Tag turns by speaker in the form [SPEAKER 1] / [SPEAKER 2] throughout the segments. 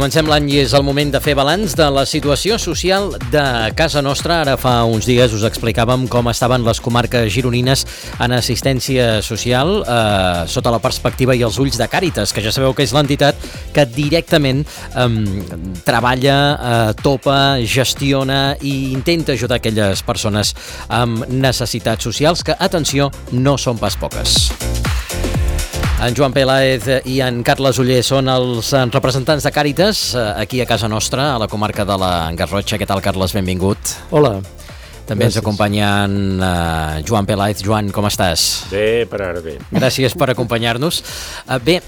[SPEAKER 1] Comencem l'any i és el moment de fer balanç de la situació social de casa nostra. Ara fa uns dies us explicàvem com estaven les comarques gironines en assistència social sota la perspectiva i els ulls de Càritas, que ja sabeu que és l'entitat que directament treballa, topa, gestiona i intenta ajudar aquelles persones amb necessitats socials que, atenció, no són pas poques. En Joan Peláez i en Carles Oller són els representants de Càritas aquí a casa nostra, a la comarca de la Garrotxa. Què tal, Carles? Benvingut.
[SPEAKER 2] Hola.
[SPEAKER 1] També ens acompanyen Joan Peláez. Joan, com estàs?
[SPEAKER 3] Bé, per ara bé.
[SPEAKER 1] Gràcies per acompanyar-nos. Bé,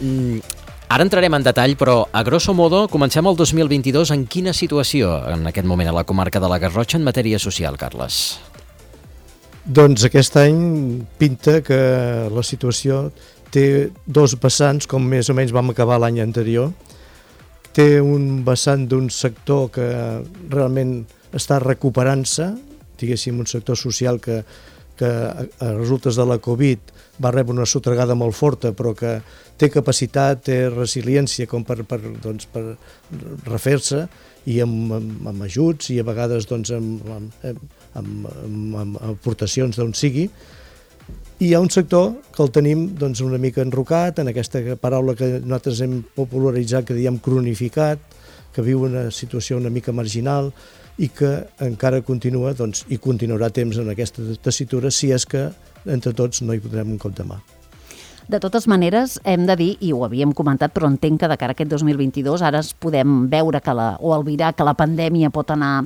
[SPEAKER 1] ara entrarem en detall, però a grosso modo comencem el 2022 en quina situació en aquest moment a la comarca de la Garrotxa en matèria social, Carles?
[SPEAKER 2] Doncs aquest any pinta que la situació té dos vessants, com més o menys vam acabar l'any anterior. Té un vessant d'un sector que realment està recuperant-se, diguéssim, un sector social que a resultes de la Covid va rebre una sotragada molt forta, però que té capacitat, té resiliència com per refer-se, i amb ajuts i a vegades amb aportacions d'on sigui. I hi ha un sector que el tenim una mica enrocat, en aquesta paraula que nosaltres hem popularitzat, que diem cronificat, que viu una situació una mica marginal i que encara continua i continuarà temps en aquesta tessitura si és que entre tots no hi podrem un cop de mà.
[SPEAKER 4] De totes maneres, hem de dir, i ho havíem comentat, però entenc que de cara a aquest 2022 ara podem veure o albirar que la pandèmia pot anar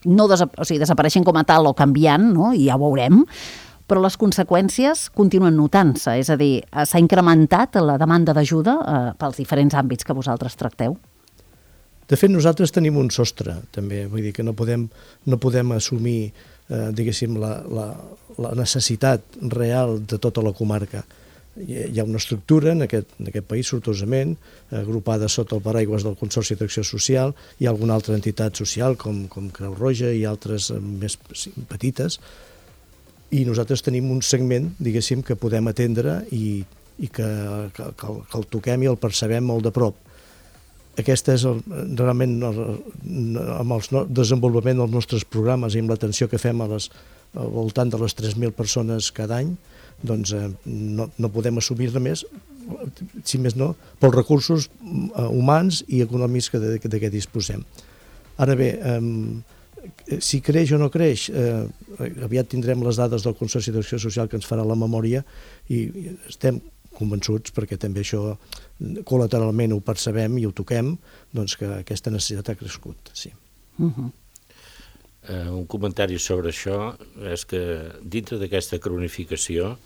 [SPEAKER 4] desapareixent com a tal o canviant, no? I ja ho veurem, però les conseqüències continuen notant-se, és a dir, s'ha incrementat la demanda d'ajuda pels diferents àmbits que vosaltres tracteu?
[SPEAKER 2] De fet, nosaltres tenim un sostre, també, vull dir que no podem assumir, diguéssim, la necessitat real de tota la comarca. Hi ha una estructura en aquest país, sortosament, agrupada sota el paraigües del Consorci d'Acció Social. Hi ha alguna altra entitat social, com Creu Roja i altres més petites, i nosaltres tenim un segment, diguéssim, que podem atendre i que el toquem i el percebem molt de prop. Aquest és realment amb el desenvolupament dels nostres programes i amb l'atenció que fem al voltant de les 3.000 persones cada any, doncs no podem assumir-ne més, si més no, pels recursos humans i econòmics de què disposem. Ara bé, si creix o no creix, aviat tindrem les dades del Consorci d'Acció Social que ens farà la memòria i estem convençuts, perquè també això col·lateralment ho percebem i ho toquem, doncs que aquesta necessitat ha crescut, sí.
[SPEAKER 3] Un comentari sobre això és que dintre d'aquesta cronificació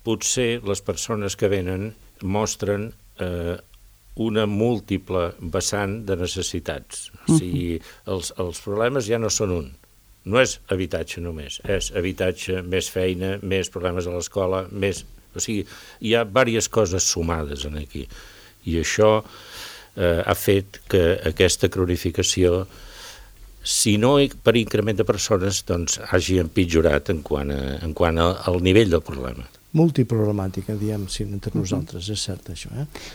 [SPEAKER 3] potser les persones que venen mostren una múltiple vessant de necessitats. O sigui, els problemes ja no són un. No és habitatge només, és habitatge, més feina, més problemes a l'escola, més... O sigui, hi ha diverses coses sumades aquí. I això ha fet que aquesta cronificació, si no per increment de persones, doncs hagi empitjorat en quant al nivell del problema.
[SPEAKER 2] Multiproblemàtica, diem, entre nosaltres, és cert això.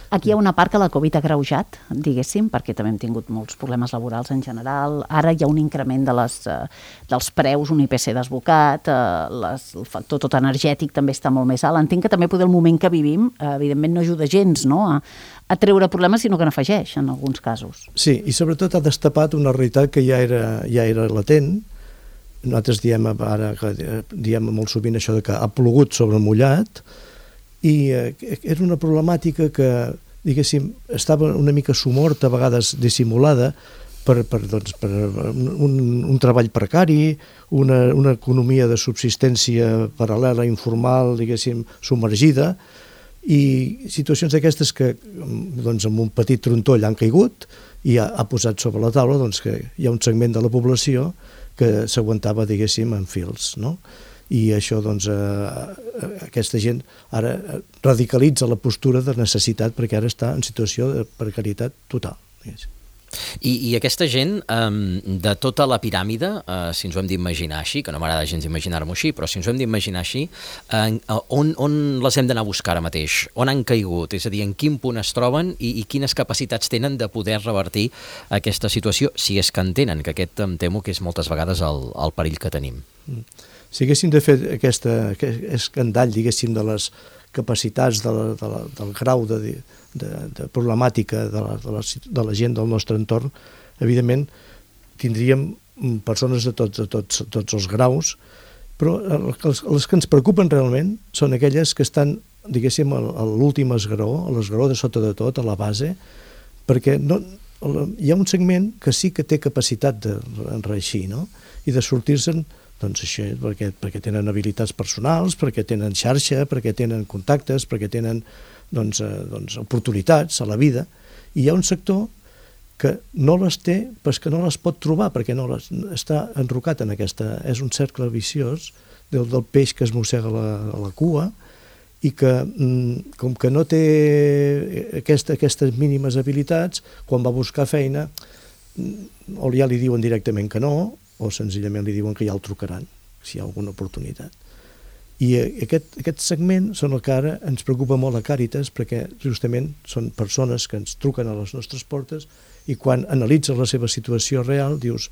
[SPEAKER 4] Aquí hi ha una part que la Covid ha agreujat, diguéssim, perquè també hem tingut molts problemes laborals en general. Ara hi ha un increment dels preus, un IPC desbocat, el factor tot energètic també està molt més alt. Entenc que també el moment que vivim, evidentment, no ajuda gens a treure problemes, sinó que n'afegeix, en alguns casos.
[SPEAKER 2] Sí, i sobretot ha destapat una realitat que ja era latent. Nosaltres diem molt sovint això que ha plogut sobre mullat, i era una problemàtica que, diguéssim, estava una mica somorta, a vegades dissimulada, per un treball precari, una economia de subsistència paral·lela, informal, diguéssim, submergida, i situacions d'aquestes que amb un petit trontoll han caigut i ha posat sobre la taula que hi ha un segment de la població que s'aguantava, diguéssim, en fils, no? I això, aquesta gent ara radicalitza la postura de necessitat perquè ara està en situació de precarietat total.
[SPEAKER 1] I aquesta gent, de tota la piràmide, si ens ho hem d'imaginar així, que no m'agrada gens imaginar-m'ho així, però si ens ho hem d'imaginar així, on les hem d'anar a buscar ara mateix? On han caigut? És a dir, en quin punt es troben i quines capacitats tenen de poder revertir aquesta situació, si és que en tenen, que aquest em temo que és moltes vegades el perill que tenim.
[SPEAKER 2] Si haguéssim de fer aquest escandall, diguéssim, de les capacitats del grau de problemàtica de la gent del nostre entorn, evidentment tindríem persones de tots els graus, però les que ens preocupen realment són aquelles que estan, diguéssim, a l'últim esglaó, a l'esglaó de sota de tot, a la base, perquè hi ha un segment que sí que té capacitat de reeixir, no? I de sortir-se'n, doncs això, perquè tenen habilitats personals, perquè tenen xarxa, perquè tenen contactes, perquè tenen oportunitats a la vida. I hi ha un sector que no les té, però que no les pot trobar, perquè està enrocat en aquesta... És un cercle viciós del peix que es mossega la cua i que, com que no té aquestes mínimes habilitats, quan va a buscar feina, o ja li diuen directament que no, o senzillament li diuen que ja el trucaran, si hi ha alguna oportunitat. I aquest segment són el que ara ens preocupa molt a Càritas, perquè justament són persones que ens truquen a les nostres portes i quan analitzes la seva situació real dius,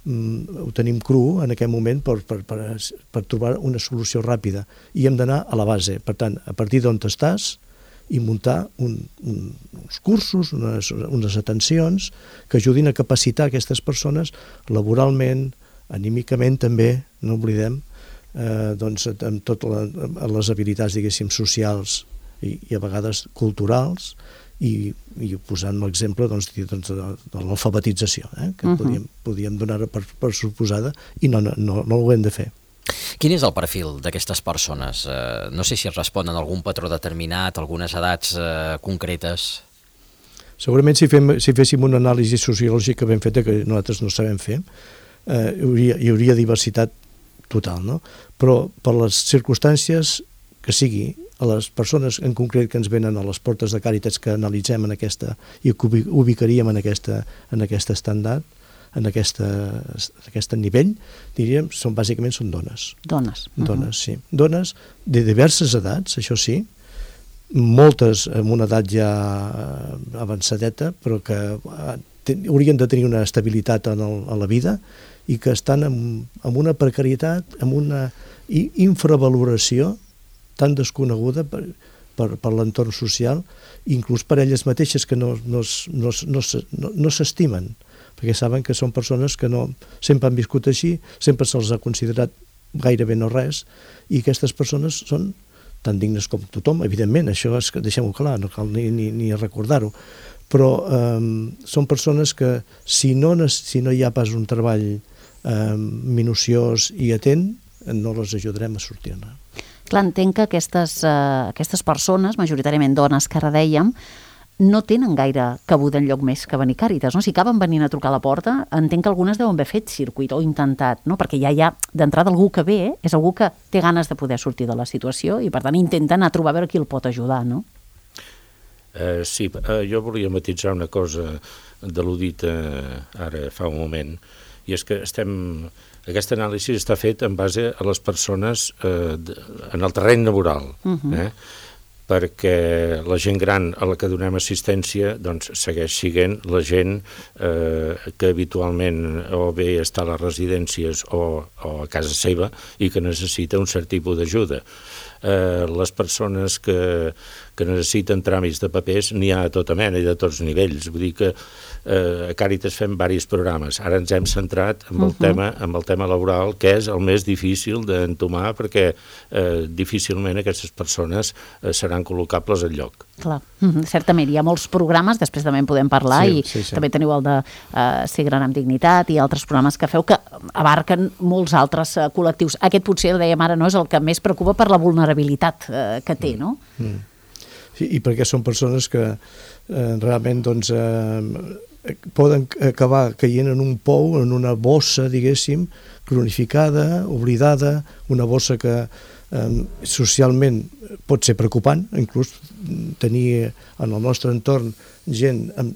[SPEAKER 2] ho tenim cru en aquest moment per trobar una solució ràpida i hem d'anar a la base. Per tant, a partir d'on estàs i muntar uns cursos, unes atencions que ajudin a capacitar aquestes persones laboralment, anímicament també, no oblidem, amb totes les habilitats, diguéssim, socials i a vegades culturals, i posant l'exemple de l'alfabetització, que podíem donar per suposada i no ho hem de fer.
[SPEAKER 1] Quin és el perfil d'aquestes persones? No sé si responen a algun patró determinat, algunes edats concretes.
[SPEAKER 2] Segurament si féssim una anàlisi sociològica ben feta, que nosaltres no sabem fer, hi hauria diversitat total, no? Però per les circumstàncies que sigui, a les persones en concret que ens venen a les portes de Càritas que analitzem i que ubicaríem en aquest estàndard, en aquest nivell, diríem, bàsicament són dones.
[SPEAKER 4] Dones.
[SPEAKER 2] Dones, sí. Dones de diverses edats, això sí, moltes amb una edat ja avançadeta, però que haurien de tenir una estabilitat a la vida i que estan amb una precarietat, amb una infravaloració tan desconeguda per l'entorn social, inclús per elles mateixes que no s'estimen, perquè saben que són persones que sempre han viscut així, sempre se'ls ha considerat gairebé no res, i aquestes persones són tan dignes com tothom, evidentment, això deixem-ho clar, no cal ni recordar-ho, però són persones que si no hi ha pas un treball minuciós i atent, no les ajudarem a sortir-ne.
[SPEAKER 4] Clar, entenc que aquestes persones, majoritàriament dones que ara dèiem, no tenen gaire cabuda enlloc més que venir Càritas, no? Si acaben venint a trucar a la porta, entenc que algunes deuen haver fet circuit o intentat, no? Perquè ja hi ha d'entrada algú que ve, és algú que té ganes de poder sortir de la situació i per tant intenta anar a trobar a veure qui el pot ajudar, no?
[SPEAKER 3] Sí, jo volia matisar una cosa de l'Udit ara fa un moment, i és que aquesta anàlisi està fet en base a les persones en el terreny laboral, perquè la gent gran a la que donem assistència doncs, segueix sent la gent que habitualment o bé està a les residències o a casa seva i que necessita un cert tipus d'ajuda. Les persones que necessiten tràmits de papers n'hi ha a tota mena i de tots nivells. Vull dir que a Càritas fem diversos programes. Ara ens hem centrat en el tema laboral, que és el més difícil d'entomar perquè difícilment aquestes persones seran col·locables al lloc.
[SPEAKER 4] Clar, certament, hi ha molts programes, després també en podem parlar, sí. També teniu el de Ser gran amb dignitat i altres programes que feu que abarquen molts altres col·lectius. Aquest potser, el dèiem ara, no és el que més preocupa per la vulnerabilitat que té, no?
[SPEAKER 2] Sí, i perquè són persones que realment doncs, poden acabar caient en un pou, en una bossa, diguéssim, cronificada, oblidada, una bossa que socialment pot ser preocupant, inclús tenir en el nostre entorn gent amb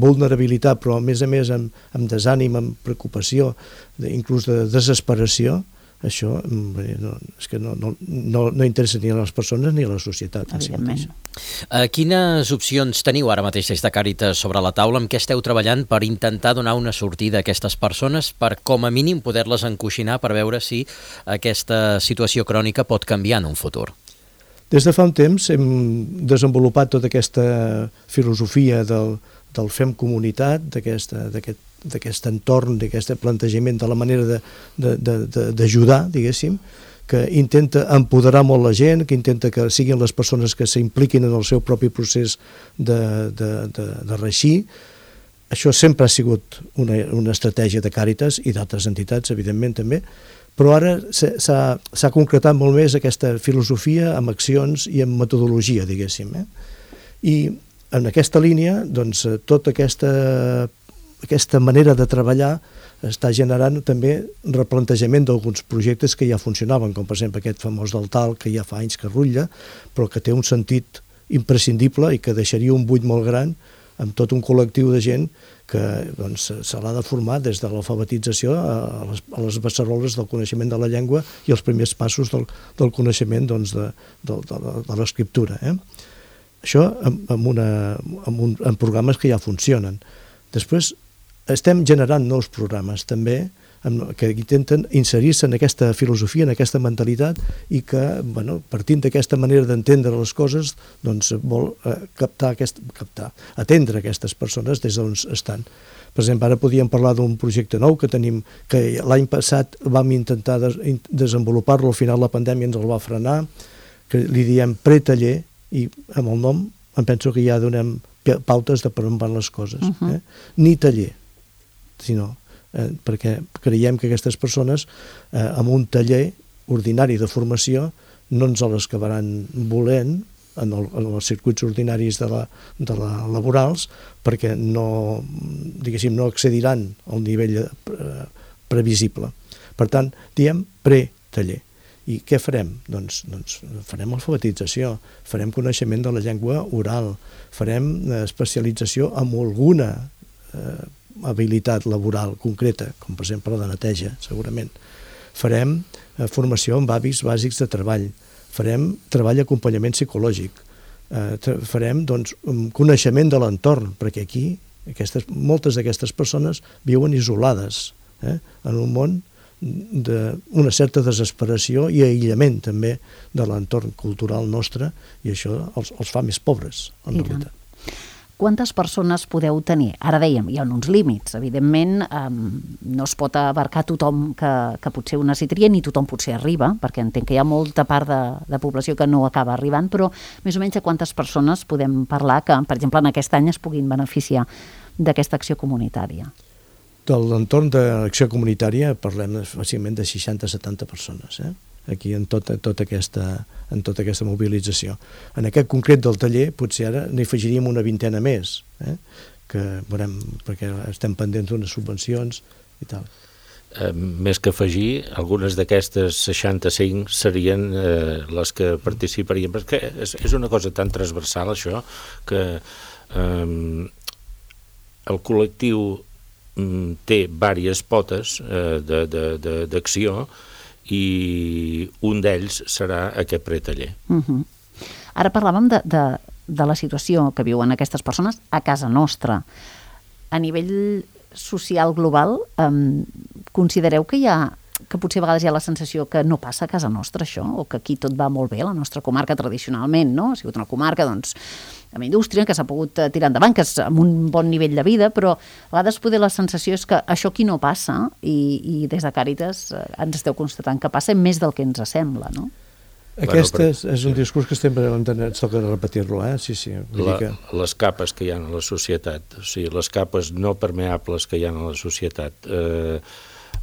[SPEAKER 2] vulnerabilitat, però a més amb desànim, amb preocupació, inclús de desesperació. Això és que no interessa ni a les persones ni a la societat.
[SPEAKER 4] Evidentment.
[SPEAKER 1] Quines opcions teniu ara mateix des de Càritas sobre la taula? Amb què esteu treballant per intentar donar una sortida a aquestes persones, per com a mínim poder-les encoixinar per veure si aquesta situació crònica pot canviar en un futur?
[SPEAKER 2] Des de fa un temps hem desenvolupat tota aquesta filosofia del fem comunitat, d'aquest entorn, d'aquest plantejament de la manera d'ajudar, diguéssim, que intenta empoderar molt la gent, que intenta que siguin les persones que s'impliquin en el seu propi procés de reeixir. Això sempre ha sigut una estratègia de Càritas i d'altres entitats, evidentment, també, però ara s'ha concretat molt més aquesta filosofia amb accions i amb metodologia, diguéssim. I en aquesta línia, doncs, tota aquesta manera de treballar està generant també replantejament d'alguns projectes que ja funcionaven, com per exemple aquest famós del talc, que ja fa anys que rutlla, però que té un sentit imprescindible i que deixaria un buit molt gran amb tot un col·lectiu de gent que doncs, se l'ha de formar des de l'alfabetització a les beceroles del coneixement de la llengua i els primers passos del coneixement doncs, de l'escriptura. Això en programes que ja funcionen. Després estem generant nous programes també que intenten inserir-se en aquesta filosofia, en aquesta mentalitat i que, partint d'aquesta manera d'entendre les coses, doncs vol atendre aquestes persones des d'on estan. Per exemple, ara podíem parlar d'un projecte nou que tenim, que l'any passat vam intentar desenvolupar-lo, al final la pandèmia ens el va frenar, que li diem pretaller, i amb el nom em penso que ja donem pautes de per on van les coses. Ni taller, sinó perquè creiem que aquestes persones amb un taller ordinari de formació no ens les acabaran volent en els circuits ordinaris de la laborals, perquè no accediran al nivell previsible. Per tant, diem pre-taller. I què farem? Doncs farem alfabetització, farem coneixement de la llengua oral, farem especialització en alguna habilitat laboral concreta, com per exemple la de neteja, segurament. Farem formació amb hàbits bàsics de treball, farem treball d'acompanyament psicològic, farem coneixement de l'entorn, perquè aquí moltes d'aquestes persones viuen isolades en un món d'una certa desesperació i aïllament també de l'entorn cultural nostre, i això els fa més pobres, en realitat.
[SPEAKER 4] Quantes persones podeu tenir? Ara dèiem, hi ha uns límits. Evidentment, no es pot abarcar tothom que potser ho necessitaria, ni tothom potser arriba, perquè entenc que hi ha molta part de població que no acaba arribant, però més o menys de quantes persones podem parlar que, per exemple, en aquest any es puguin beneficiar d'aquesta acció comunitària?
[SPEAKER 2] De l'entorn de l'acció comunitària parlem fàcilment de 60-70 persones, aquí en tota aquesta mobilització. En aquest concret del taller potser ara n'hi afegiríem una vintena més, que veurem, perquè estem pendents d'unes subvencions i tal.
[SPEAKER 3] Més que afegir, algunes d'aquestes 65 serien les que participarien, perquè és una cosa tan transversal això, que el col·lectiu té diverses potes d'acció i un d'ells serà aquest pretaller.
[SPEAKER 4] Ara parlàvem de la situació que viuen aquestes persones a casa nostra. A nivell social global, considereu que potser a vegades hi ha la sensació que no passa a casa nostra això, o que aquí tot va molt bé, la nostra comarca tradicionalment, no? Ha sigut una comarca, doncs, amb indústria, que s'ha pogut tirar endavant, que és amb un bon nivell de vida, però a vegades poder la sensació és que això aquí no passa, i des de Càritas ens esteu constatant que passa més del que ens sembla, no?
[SPEAKER 2] Aquest és un discurs que sempre ens toca repetir-lo, sí.
[SPEAKER 3] Les capes que hi ha a la societat, o sigui, les capes no permeables que hi ha a la societat,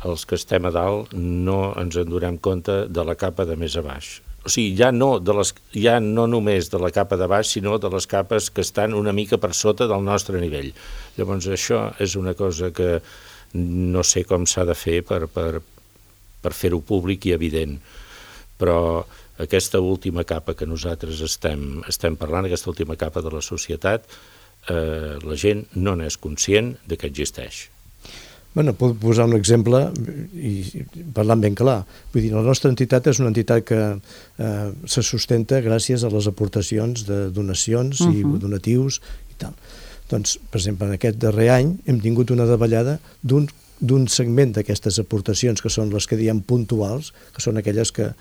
[SPEAKER 3] els que estem a dalt no ens en donem compte de la capa de més a baix. O sigui, ja no només de la capa de baix, sinó de les capes que estan una mica per sota del nostre nivell. Llavors, això és una cosa que no sé com s'ha de fer per fer-ho públic i evident. però aquesta última capa que nosaltres estem parlant, aquesta última capa de la societat, la gent no n'és conscient de que existeix.
[SPEAKER 2] Bueno, puc posar un exemple i parlant ben clar. Vull dir, la nostra entitat és una entitat que se sustenta gràcies a les aportacions de donacions i donatius i tal. Doncs, per exemple, en aquest darrer any hem tingut una davallada d'un segment d'aquestes aportacions, que són les que diem puntuals, que són aquelles que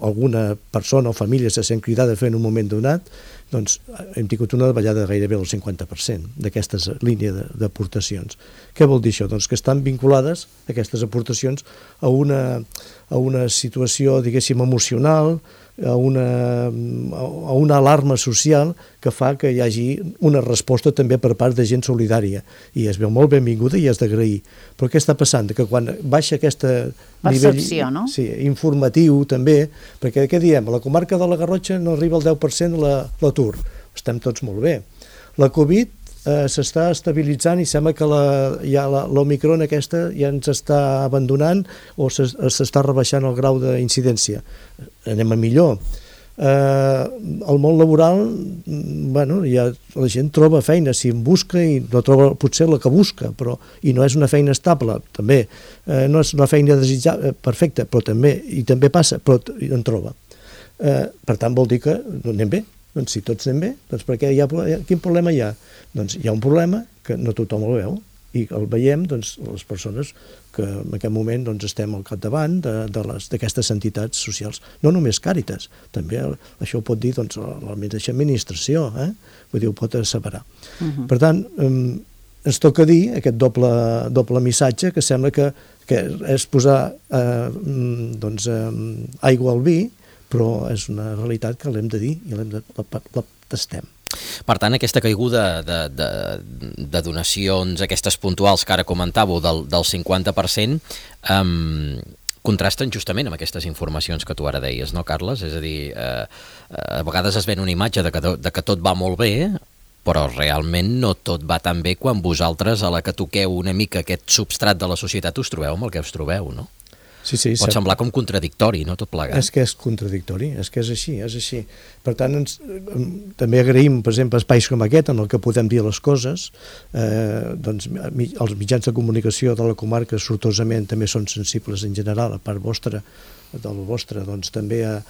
[SPEAKER 2] alguna persona o família se sent cridada a fer en un moment donat, doncs hem tingut una davallada gairebé del 50% d'aquesta línia d'aportacions. Què vol dir això? Doncs que estan vinculades aquestes aportacions a una situació, diguéssim, emocional, a una alarma social que fa que hi hagi una resposta també per part de gent solidària, i es veu molt benvinguda i és d'agrair. Però què està passant? Que quan baixa aquest
[SPEAKER 4] percepció, no?
[SPEAKER 2] Sí, informatiu també, perquè què diem? A la comarca de la Garrotxa no arriba al 10% l'atur. Estem tots molt bé. La Covid s'està estabilitzant i sembla que l'Omicron aquesta ja ens està abandonant o s'està rebaixant el grau d'incidència. Anem a millor. El món laboral, bueno, ja la gent troba feina, si en busca, i no troba potser la que busca, però i no és una feina estable, també. No és una feina desitjable, perfecta, però també passa, però en troba. Per tant, vol dir que anem bé. Doncs si tots anem bé, doncs per què quin problema hi ha? Doncs hi ha un problema que no tothom el veu, i el veiem doncs, les persones que en aquest moment doncs, estem al capdavant d'aquestes entitats socials. No només Càritas, també això ho pot dir doncs, la mateixa administració, vull dir, ho pot asseverar. Per tant, ens toca dir aquest doble missatge, que sembla que és posar aigua al vi, però és una realitat que l'hem de dir i la tastem.
[SPEAKER 1] Per tant, aquesta caiguda de donacions, aquestes puntuals que ara comentàveu, del 50%, contrasten justament amb aquestes informacions que tu ara deies, no, Carles? És a dir, a vegades es ven una imatge de que tot va molt bé, però realment no tot va tan bé quan vosaltres, a la que toqueu una mica aquest substrat de la societat, us trobeu amb el que us trobeu, no?
[SPEAKER 2] Sí,
[SPEAKER 1] pot semblar com contradictori, no, tot plegat?
[SPEAKER 2] És que és contradictori, és que és així. Per tant, també agraïm, per exemple, espais com aquest en el que podem dir les coses. Doncs els mitjans de comunicació de la comarca sortosament també són sensibles en general, a part del vostre, doncs també a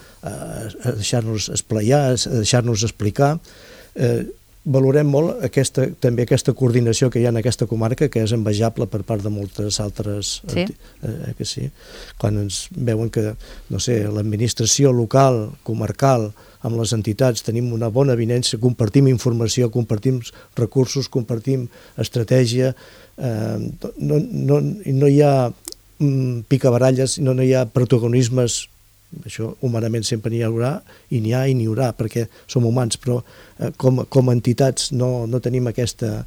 [SPEAKER 2] deixar-nos esplayar, a deixar-nos explicar. Valorem molt també aquesta coordinació que hi ha en aquesta comarca, que és envejable per part de moltes altres... Que sí. Quan ens veuen que, no sé, l'administració local, comarcal, amb les entitats tenim una bona avinença, compartim informació, compartim recursos, compartim estratègia, no hi ha picabaralles, no hi ha protagonismes. Això humanament sempre n'hi haurà i n'hi haurà perquè som humans, però com a entitats no tenim aquesta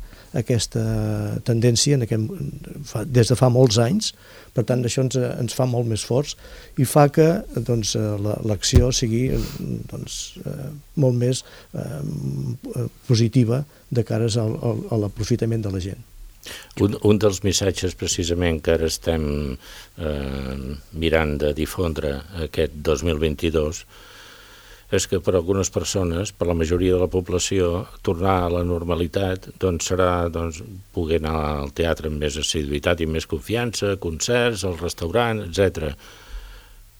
[SPEAKER 2] tendència des de fa molts anys. Per tant, això ens fa molt més forts i fa que l'acció sigui molt més positiva de cares a l'aprofitament de la gent.
[SPEAKER 3] Un dels missatges precisament que ara estem mirant de difondre aquest 2022 és que per a algunes persones, per a la majoria de la població, tornar a la normalitat serà poder anar al teatre amb més assiduïtat i més confiança, concerts, al restaurant, etc.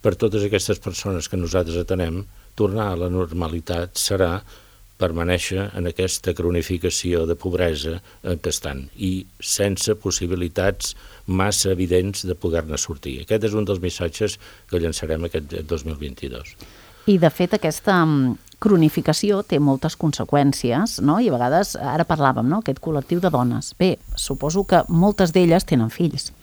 [SPEAKER 3] Per totes aquestes persones que nosaltres atenem, tornar a la normalitat serà permanèixer en aquesta cronificació de pobresa en què estan i sense possibilitats massa evidents de poder-ne sortir. Aquest és un dels missatges que llançarem aquest 2022.
[SPEAKER 4] I, de fet, aquesta cronificació té moltes conseqüències, no? I a vegades, ara parlàvem, no?, aquest col·lectiu de dones. Bé, suposo que moltes d'elles tenen fills.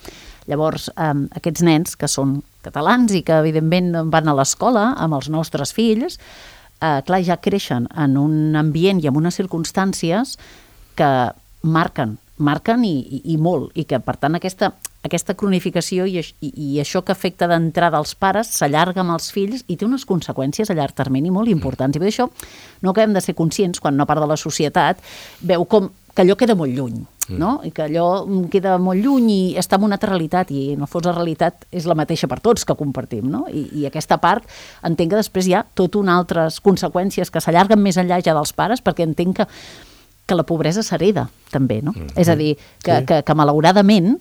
[SPEAKER 4] Llavors, aquests nens que són catalans i que, evidentment, van a l'escola amb els nostres fills, clar, ja creixen en un ambient i en unes circumstàncies que marquen i molt, i que, per tant, aquesta cronificació i això que afecta d'entrada als pares s'allarga amb els fills i té unes conseqüències a llarg termini molt importants. I per això no acabem de ser conscients quan una part de la societat veu com que allò queda molt lluny. no? I que allò queda molt lluny i està en una altra realitat, i en el fons la realitat és la mateixa per tots que compartim, no? I aquesta part entenc que després hi ha tot unes altres conseqüències que s'allarguen més enllà ja dels pares, perquè entenc que la pobresa s'hereda també, no? És a dir, que malauradament,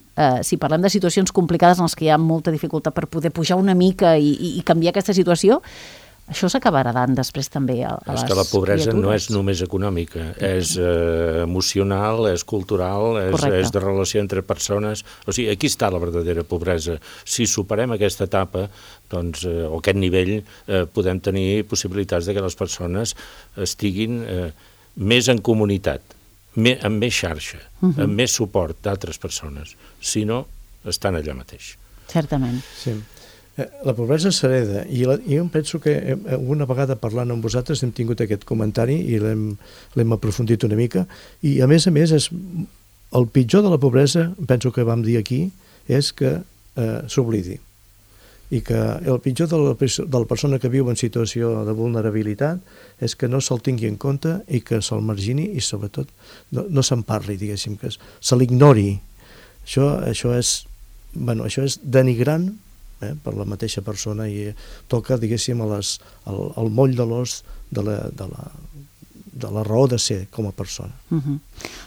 [SPEAKER 4] si parlem de situacions complicades en les que hi ha molta dificultat per poder pujar una mica i canviar aquesta situació, això s'acabarà dant després també a les criatures.
[SPEAKER 3] És que la pobresa no és només econòmica, és emocional, és cultural, és de relació entre persones. O sigui, aquí està la verdadera pobresa. Si superem aquesta etapa, doncs, o aquest nivell, podem tenir possibilitats de que les persones estiguin més en comunitat, amb més xarxa, amb més suport d'altres persones. Si no, estan allà mateix.
[SPEAKER 4] Certament.
[SPEAKER 2] Sí. La pobresa s'hereda, i jo em penso que una vegada parlant amb vosaltres hem tingut aquest comentari i l'hem aprofundit una mica, i a més, el pitjor de la pobresa, penso que vam dir aquí, és que s'oblidi. I que el pitjor de la persona que viu en situació de vulnerabilitat és que no se'l tingui en compte i que se'l margini i sobretot no se'n parli, diguéssim, que se l'ignori. Això és denigrant per la mateixa persona i toca, diguéssim, al moll de l'os de la raó de ser com a persona.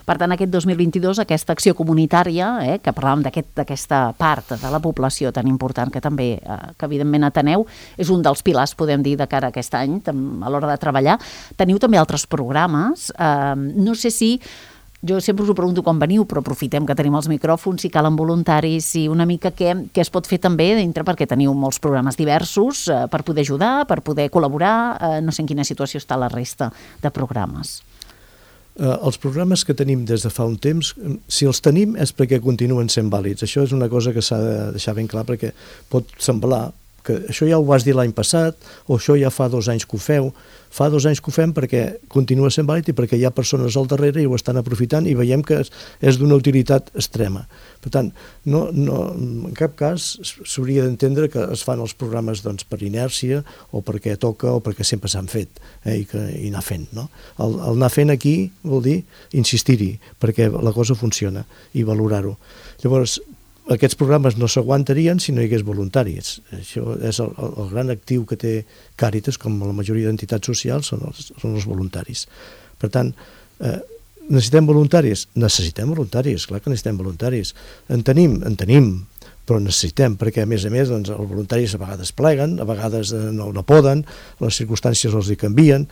[SPEAKER 4] Per tant, aquest 2022, aquesta acció comunitària, que parlàvem d'aquesta part de la població tan important que també, que evidentment ateneu, és un dels pilars, podem dir, de cara a aquest any, a l'hora de treballar. Teniu també altres programes. No sé si... Jo sempre us ho pregunto quan veniu, però aprofitem que tenim els micròfons, si calen voluntaris, i una mica què es pot fer també dintre, perquè teniu molts programes diversos per poder ajudar, per poder col·laborar. No sé en quina situació està la resta de programes.
[SPEAKER 2] Els programes que tenim des de fa un temps, si els tenim és perquè continuen sent vàlids. Això és una cosa que s'ha de deixar ben clar, perquè pot semblar que això ja ho vas dir l'any passat, o això ja fa 2 anys que ho feu. Fa 2 anys que ho fem perquè continua sent vàlid i perquè hi ha persones al darrere i ho estan aprofitant i veiem que és d'una utilitat extrema. Per tant, en cap cas s'hauria d'entendre que es fan els programes per inèrcia o perquè toca o perquè sempre s'han fet i anar fent. El anar fent aquí vol dir insistir-hi perquè la cosa funciona i valorar-ho. Llavors, aquests programes no s'aguantarien si no hi hagués voluntaris. Això és el gran actiu que té Càritas, com la majoria d'entitats socials, són els voluntaris. Per tant, necessitem voluntaris? Necessitem voluntaris, clar que necessitem voluntaris. En tenim, però necessitem, perquè a més els voluntaris a vegades pleguen, a vegades no poden, les circumstàncies els hi canvien.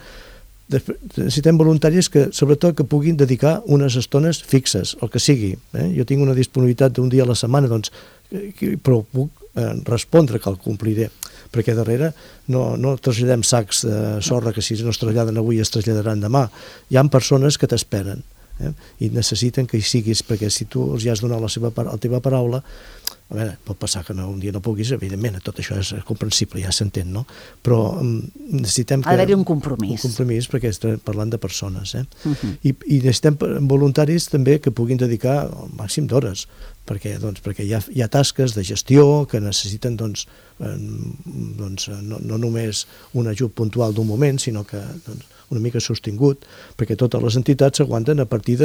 [SPEAKER 2] Necessitem voluntaris que, sobretot, que puguin dedicar unes estones fixes, el que sigui. Jo tinc una disponibilitat d'un dia a la setmana, però puc respondre que el compliré, perquè darrere no traslladem sacs de sorra que si no es traslladen avui es traslladaran demà. Hi ha persones que t'esperen i necessiten que hi siguis, perquè si tu els has donat la teva paraula, a veure, pot passar que un dia no puguis, evidentment, tot això és comprensible, ja s'entén, no? Però necessitem que...
[SPEAKER 4] Ha d'haver un compromís.
[SPEAKER 2] Un compromís, perquè estem parlant de persones, I necessitem voluntaris també que puguin dedicar el màxim d'hores, perquè hi ha tasques de gestió que necessiten no només un ajut puntual d'un moment, sinó que una mica sostingut, perquè totes les entitats s'aguanten a partir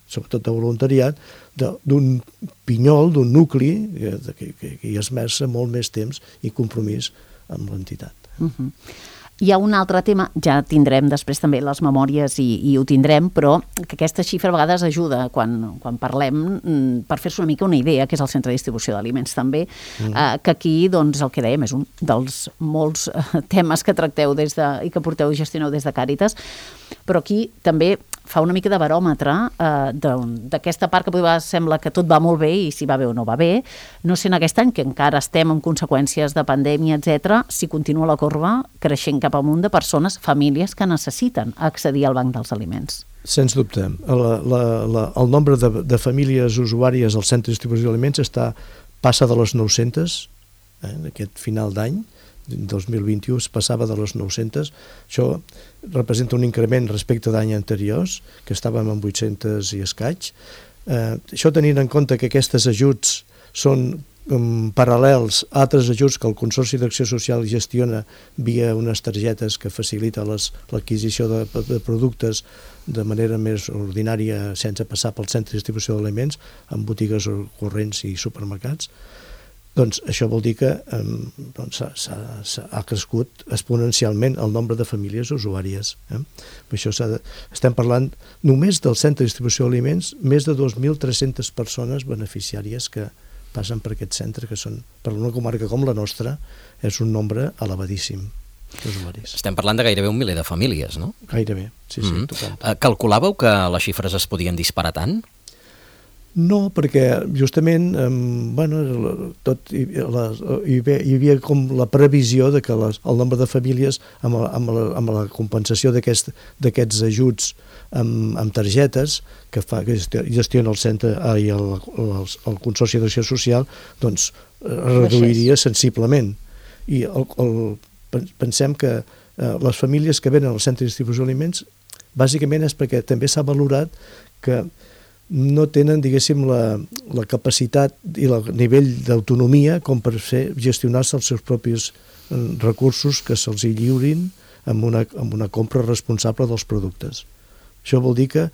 [SPEAKER 2] sobretot de voluntariat, d'un pinyol, d'un nucli que hi esmerça molt més temps i compromís amb l'entitat.
[SPEAKER 4] Hi ha un altre tema, ja tindrem després també les memòries i ho tindrem, però que aquesta xifra a vegades ajuda quan parlem per fer-se una mica una idea, que és el centre de distribució d'aliments també, que aquí, el que dèiem, és un dels molts temes que tracteu i que porteu i gestioneu des de Càritas, però aquí també fa una mica de baròmetre d'aquesta part que potser sembla que tot va molt bé i si va bé o no va bé. No sé en aquest any, que encara estem amb conseqüències de pandèmia, etc., si continua la corba creixent cap amunt de persones, famílies que necessiten accedir al banc dels aliments.
[SPEAKER 2] Sens dubte. El nombre de famílies usuàries al centre de distribució d'aliments passa de les 900 aquest final d'any. 2021 es passava de les 900. Això representa un increment respecte d'any anteriors, que estàvem en 800 i escaig. Això tenint en compte que aquests ajuts són paral·lels a altres ajuts que el Consorci d'Acció Social gestiona via unes targetes que facilita l'adquisició de productes de manera més ordinària sense passar pel centre de distribució d'aliments en botigues corrents i supermercats. Doncs això vol dir que ha crescut exponencialment el nombre de famílies usuàries. Això estem parlant només del centre de distribució d'aliments, més de 2.300 persones beneficiàries que passen per aquest centre, que són, per una comarca com la nostra, és un nombre elevadíssim d'usuaris.
[SPEAKER 1] Estem parlant de gairebé 1 miler de famílies, no?
[SPEAKER 2] Gairebé, sí, total.
[SPEAKER 1] Calculàveu que les xifres es podien disparar tant?
[SPEAKER 2] No, perquè justament hi havia com la previsió de que el nombre de famílies amb la compensació d'aquests ajuts amb targetes que gestiona el centre i el Consorci d'Acció Social, doncs reduiria sensiblement. I pensem que les famílies que venen al centre de distribució d'aliments bàsicament és perquè també s'ha valorat que no tenen, diguéssim, la capacitat i el nivell d'autonomia com per gestionar-se els seus propis recursos que se'ls lliurin amb una compra responsable dels productes. Això vol dir que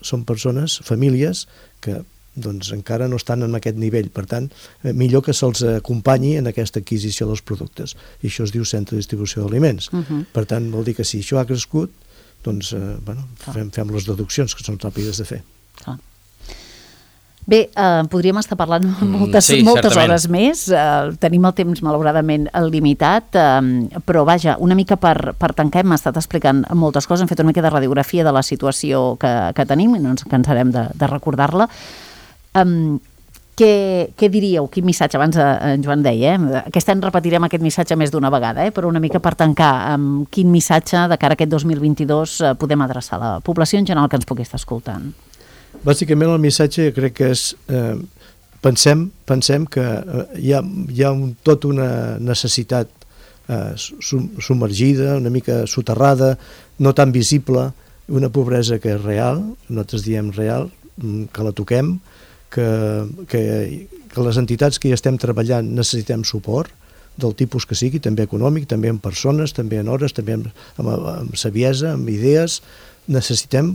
[SPEAKER 2] són persones, famílies, que doncs, encara no estan en aquest nivell. Per tant, millor que se'ls acompanyi en aquesta adquisició dels productes. I això es diu centre de distribució d'aliments. Per tant, vol dir que si això ha crescut, doncs fem les deduccions, que són ràpides de fer.
[SPEAKER 4] Bé, podríem estar parlant moltes hores més, tenim el temps malauradament limitat, però vaja, una mica per tancar, hem estat explicant moltes coses, hem fet una mica de radiografia de la situació que tenim i no ens cansarem de recordar-la. Què diríeu, quin missatge? Abans en Joan deia, aquest any repetirem aquest missatge més d'una vegada, però una mica per tancar, quin missatge de cara a aquest 2022 podem adreçar a la població en general que ens pugui estar escoltant?
[SPEAKER 2] Bàsicament el missatge crec que és pensem que hi ha tota una necessitat submergida, una mica soterrada, no tan visible, una pobresa que és real, nosaltres diem real, que la toquem, que les entitats que hi estem treballant necessitem suport del tipus que sigui, també econòmic, també en persones, també en hores, també amb saviesa, amb idees, necessitem,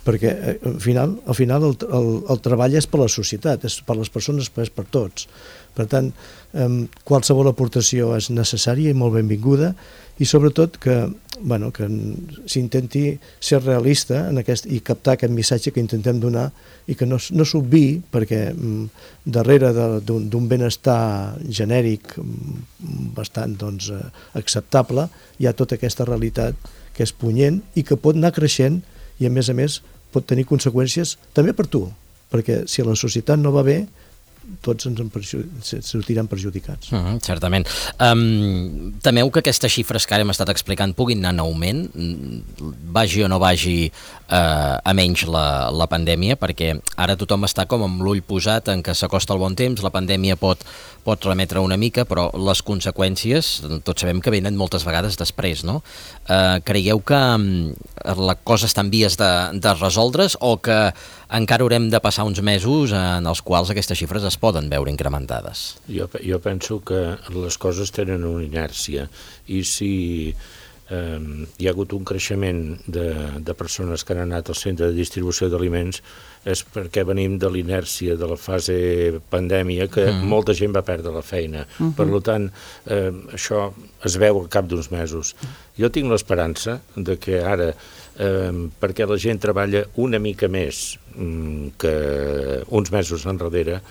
[SPEAKER 2] perquè al final el treball és per la societat, és per les persones, però és per tots. Per tant, qualsevol aportació és necessària i molt benvinguda, i sobretot que s'intenti ser realista i captar aquest missatge que intentem donar i que no s'obviï, perquè darrere d'un benestar genèric bastant acceptable hi ha tota aquesta realitat que és punyent i que pot anar creixent i a més pot tenir conseqüències també per tu, perquè si la societat no va bé, tots ens sortiran perjudicats.
[SPEAKER 1] Certament. Temeu que aquestes xifres que ara hem estat explicant puguin anar en augment, vagi o no vagi a menys la pandèmia, perquè ara tothom està com amb l'ull posat en que s'acosta el bon temps, la pandèmia pot remetre una mica, però les conseqüències tots sabem que venen moltes vegades després, no? Creieu que la cosa està en vies de resoldre's o que encara haurem de passar uns mesos en els quals aquestes xifres es poden veure incrementades?
[SPEAKER 3] Jo penso que les coses tenen una inèrcia i si hi ha hagut un creixement de persones que han anat al centre de distribució d'aliments és perquè venim de l'inèrcia de la fase pandèmia que molta gent va perdre la feina. Per tant, això es veu al cap d'uns mesos. Jo tinc l'esperança de que ara, perquè la gent treballa una mica més que uns mesos enrere,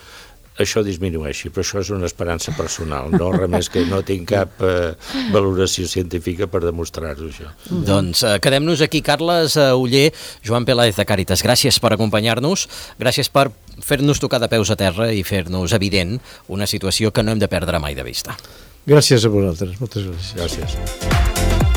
[SPEAKER 3] això disminueixi, però això és una esperança personal, no res més que no tinc cap valoració científica per demostrar-ho, això.
[SPEAKER 1] Doncs quedem-nos aquí, Carles Oller, Joan Peláez de Càritas, gràcies per acompanyar-nos, gràcies per fer-nos tocar de peus a terra i fer-nos evident una situació que no hem de perdre mai de vista.
[SPEAKER 2] Gràcies a vosaltres, moltes gràcies.
[SPEAKER 3] Gràcies.